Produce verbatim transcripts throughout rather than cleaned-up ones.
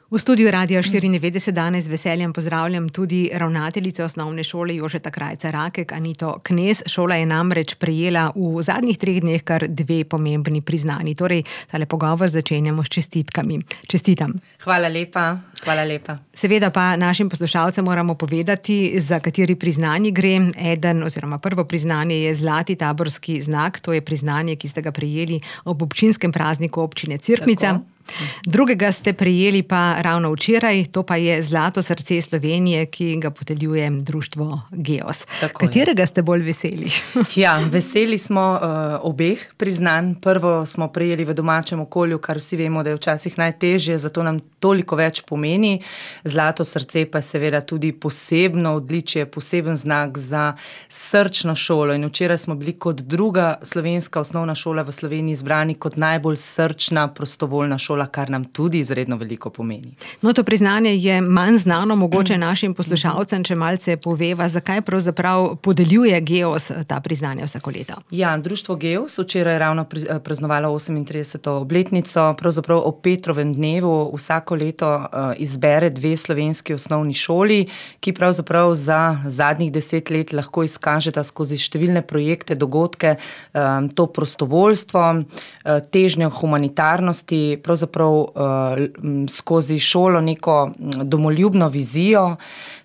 V studiu Radia štiriindevetdeset danes z veseljem pozdravljam tudi ravnateljico osnovne šole Jožeta Krajca Rakek, Anito Knez. Šola je namreč prejela v zadnjih treh dneh kar dve pomembni priznanji. Torej, tale pogovor začenjamo s čestitkami. Čestitam. Hvala lepa, hvala lepa. Seveda pa našim poslušalcem moramo povedati, za kateri priznanji gre. Eden oziroma prvo priznanje je zlati taborski znak. To je priznanje, ki ste ga prejeli ob občinskem prazniku občine Cerknica. Tako. Drugega ste prejeli pa ravno včeraj, to pa je Zlato srce Slovenije, ki ga podeljuje društvo Geos. Tako Katerega je. Ste bolj veseli? Ja, veseli smo uh, obeh priznanj. Prvo smo prejeli v domačem okolju, kar vsi vemo, da je včasih najtežje, zato nam toliko več pomeni. Zlato srce pa je seveda tudi posebno odličje, poseben znak za srčno šolo. In včeraj smo bili kot druga slovenska osnovna šola v Sloveniji izbrani kot najbolj srčna prostovoljna šola, kar nam tudi izredno veliko pomeni. No, to priznanje je manj znano, mogoče našim poslušalcem, če malce poveva, zakaj pravzaprav podeljuje Geos ta priznanja vsako leto. Ja, društvo Geos včeraj je ravno praznovalo osemintrideseto obletnico, pravzaprav ob Petrovem dnevu vsako leto izbere dve slovenski osnovni šoli, ki pravzaprav za zadnjih deset let lahko izkažeta skozi številne projekte, dogodke, to prostovoljstvo, težnjo humanitarnosti, pravzaprav Prav, uh, skozi šolo neko domoljubno vizijo,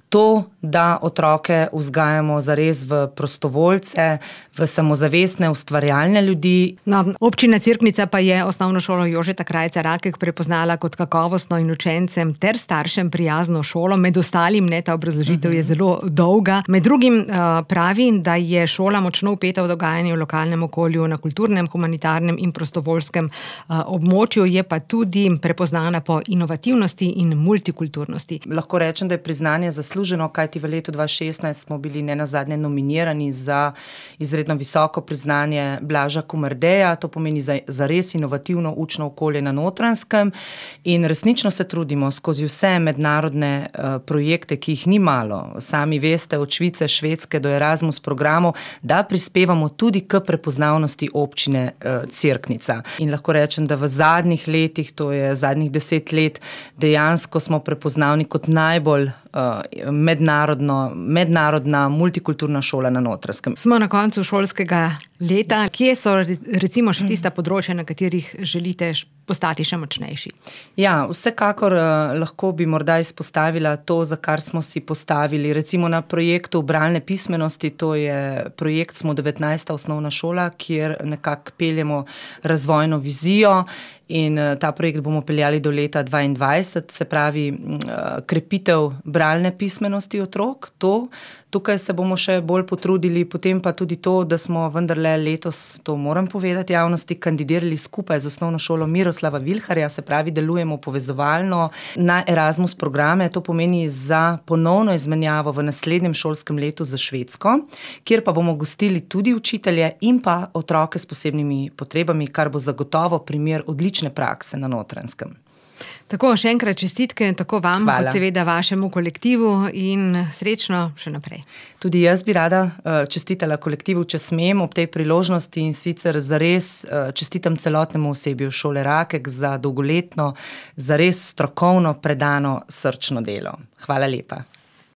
to, da otroke vzgajamo zares v prostovoljce, v samozavestne, ustvarjalne ljudi. No, občina Cerknica pa je osnovno šolo Jožeta Krajca Rakek prepoznala kot kakovostno in učencem ter staršem prijazno šolo. Med ostalim, ne, ta obrazložitev je zelo dolga. Med drugim uh, pravi, da je šola močno vpeta v dogajanje v lokalnem okolju, na kulturnem, humanitarnem in prostovoljskem uh, območju, je pa tudi prepoznana po inovativnosti in multikulturnosti. Lahko rečem, da je priznanje zasluženo, kajti v letu dva tisoč šestnajst smo bili nenazadnje nominirani za izredno visoko priznanje Blaža Komerdeja, to pomeni za, za res inovativno učno okolje na Notranjskem, in resnično se trudimo skozi vse mednarodne uh, projekte, ki jih ni malo, sami veste, od Švice, Švedske do Erasmus programov, da prispevamo tudi k prepoznavnosti občine uh, Cerknica. In lahko rečem, da v zadnjih letih, to je zadnjih deset let, dejansko smo prepoznavni kot najbolj uh, mednarodno, mednarodna multikulturna šola na Notranjskem. Smo na koncu šolskega leta. Kje so recimo še tista področja, na katerih želite postati še močnejši? Ja, vsekakor uh, lahko bi morda izpostavila to, za kar smo si postavili. Recimo na projektu bralne pismenosti, to je projekt Smo devetnajsta osnovna šola, kjer nekako peljemo razvojno vizijo. In ta projekt bomo peljali do leta dvaindvajset, se pravi krepitev bralne pismenosti otrok. To, tukaj se bomo še bolj potrudili, potem pa tudi to, da smo vendarle letos, to moram povedati javnosti, kandidirali skupaj z osnovno šolo Miroslava Vilharja, se pravi, delujemo povezovalno na Erasmus programe, to pomeni za ponovno izmenjavo v naslednjem šolskem letu za Švedsko, kjer pa bomo gostili tudi učitelje in pa otroke s posebnimi potrebami, kar bo zagotovo primer odlične prakse na Notranjskem. Tako, še enkrat čestitke, tako vam, Hvala. Kot seveda vašemu kolektivu, in srečno še naprej. Tudi jaz bi rada uh, čestitala kolektivu, če smem, ob tej priložnosti, in sicer zares uh, čestitam celotnemu osebju šole Rakek za dolgoletno, zares strokovno, predano, srčno delo. Hvala lepa.